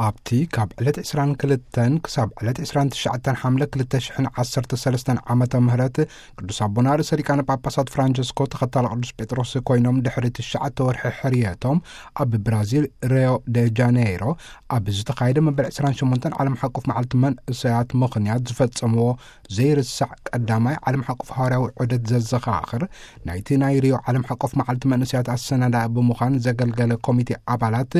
ኣብቲ ካብ ዕለት ዕስራን ክልተን ክሳብ ዕለት ዕስራን ትሽዓተን ሓምለ ክልተ ሽሕን ዓሰርተ ሰለስተን ዓመተ ምህረት ቅዱስ ኣቦና ርእሰ ሊቃነ ጳጳሳት ፍራንቸስኮ ተኸታሊ ቅዱስ ጴጥሮስ ኮይኖም ድሕሪ ትሽዓተ ወርሒ ሕርየቶም ኣብ ብራዚል ሪዮ ደ ጃኔይሮ ኣብ ዝተኻየደ መበል ዕስራን ሸሞንተን ዓለም ሓቆፍ መዓልቲ መንእሰያት ምኽንያት ዝፈጸምዎ ዘይርሳዕ ቀዳማይ ዓለም ሓቆፍ ሃዋርያዊ ዑደት ዘዘኻኽር ናይቲ ናይ ሪዮ ዓለም ሓቆፍ መዓልቲ መንእሰያት ኣሰናዳኢ ብምዃን ዘገልገለ ኮሚቴ ኣባላት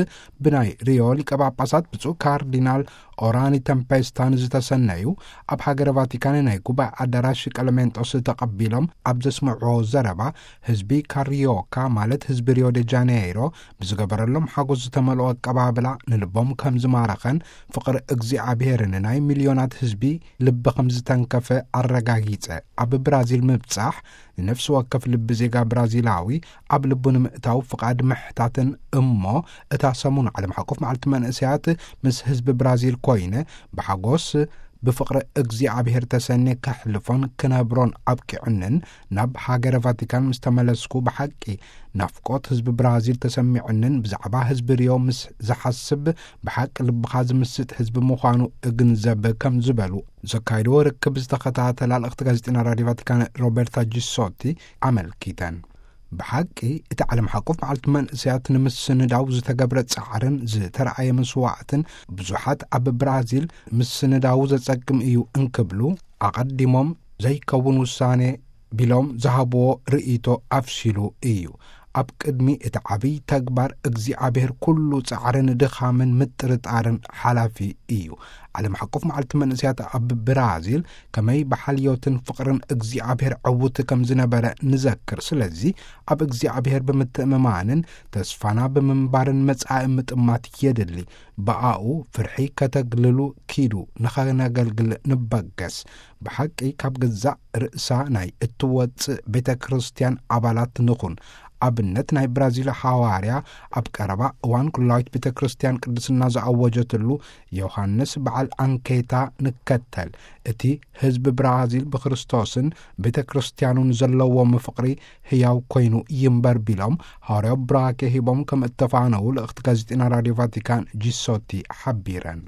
ብናይ ሪዮ ሊቀ ጳጳሳት ብፁዕ ካርዲናል ኦራኒ ተምፔስታን ዝተሰነዩ ኣብ ሃገረ ቫቲካን ናይ ጉባኤ ኣዳራሽ ቀለሜንጦስ ተቐቢሎም ኣብ ዘስምዕዎ ዘረባ ህዝቢ ካሪዮካ ማለት ህዝቢ ሪዮ ደ ጃኔይሮ ብዝገበረሎም ሓጎስ ዝተመልኦ ኣቀባብላ ንልቦም ከም ዝማረኸን ፍቕሪ እግዚኣብሔር ንናይ ሚልዮናት ህዝቢ ልቢ ከም ዝተንከፈ ኣረጋጊጸ። ኣብ ብራዚል ምብጻሕ ንነፍሲ ወከፍ ልቢ ዜጋ ብራዚላዊ ኣብ ልቡ ንምእታው ፍቓድ ምሕታትን እሞ እታ ሰሙን ዓለም ሓቆፍ መዓልቲ መንእሰያት ምስ ህዝቢ ብራዚል ኮይነ ብሓጎስ ብፍቕሪ እግዚኣብሔር ተሰኔ ከሕልፎን ክነብሮን ኣብቂዑንን ናብ ሃገረ ቫቲካን ምስ ተመለስኩ ብሓቂ ናፍቆት ህዝቢ ብራዚል ተሰሚዑንን ብዛዕባ ህዝቢ ሪዮ ምስ ዝሓስብ ብሓቂ ልብኻ ዝምስጥ ህዝቢ ምዃኑ እግንዘብ ከም ዝበሉ ዘካይድዎ ርክብ ዝተኸታተላ ልእኽቲ ጋዜጠና ራድዮ ቫቲካን ሮበርታ ጂሶቲ ኣመልኪተን። ብሓቂ እቲ ዓለም ሓቆፍ መዓልቲ መንእሰያት ንምስንዳው ዝተገብረ ጻዕርን ዝተረኣየ መስዋዕትን ብዙሓት ኣብ ብራዚል ምስንዳው ዘጸግም እዩ እንክብሉ ኣቐዲሞም ዘይከውን ውሳኔ ቢሎም ዝሃብዎ ርእይቶ ኣፍሲሉ እዩ። ኣብ ቅድሚ እቲ ዓብይ ተግባር እግዚኣብሔር ኩሉ ጻዕርን ድኻምን ምጥርጣርን ሓላፊ እዩ። ዓለም ሓቆፍ መዓልቲ መንእሰያት ኣብ ብራዚል ከመይ ብሓልዮትን ፍቕርን እግዚኣብሔር ዕውት ከም ዝነበረ ንዘክር። ስለዚ ኣብ እግዚኣብሔር ብምትእምማንን ተስፋና ብምንባርን መጻኢ ምጥማት የድሊ። ብኣኡ ፍርሒ ከተግልሉ ኪዱ ንኸነገልግል ንበገስ። ብሓቂ ካብ ገዛእ ርእሳ ናይ እትወጽእ ቤተ ክርስቲያን ኣባላት ንኹን። ኣብነት ናይ ብራዚል ሓዋርያ ኣብ ቀረባ እዋን ኩላዊት ቤተ ክርስቲያን ቅድስና ዝኣወጀትሉ ዮሃንስ በዓል ኣንኬታ ንከተል። እቲ ህዝቢ ብራዚል ብክርስቶስን ቤተ ክርስቲያኑን ዘለዎም ፍቕሪ ህያው ኮይኑ ይንበር ቢሎም ሃዋርያዊ ብራኬ ሂቦም ከም እተፋነዉ ልእኽቲ ጋዜጠና ራድዮ ቫቲካን ጂሶቲ ሓቢረን።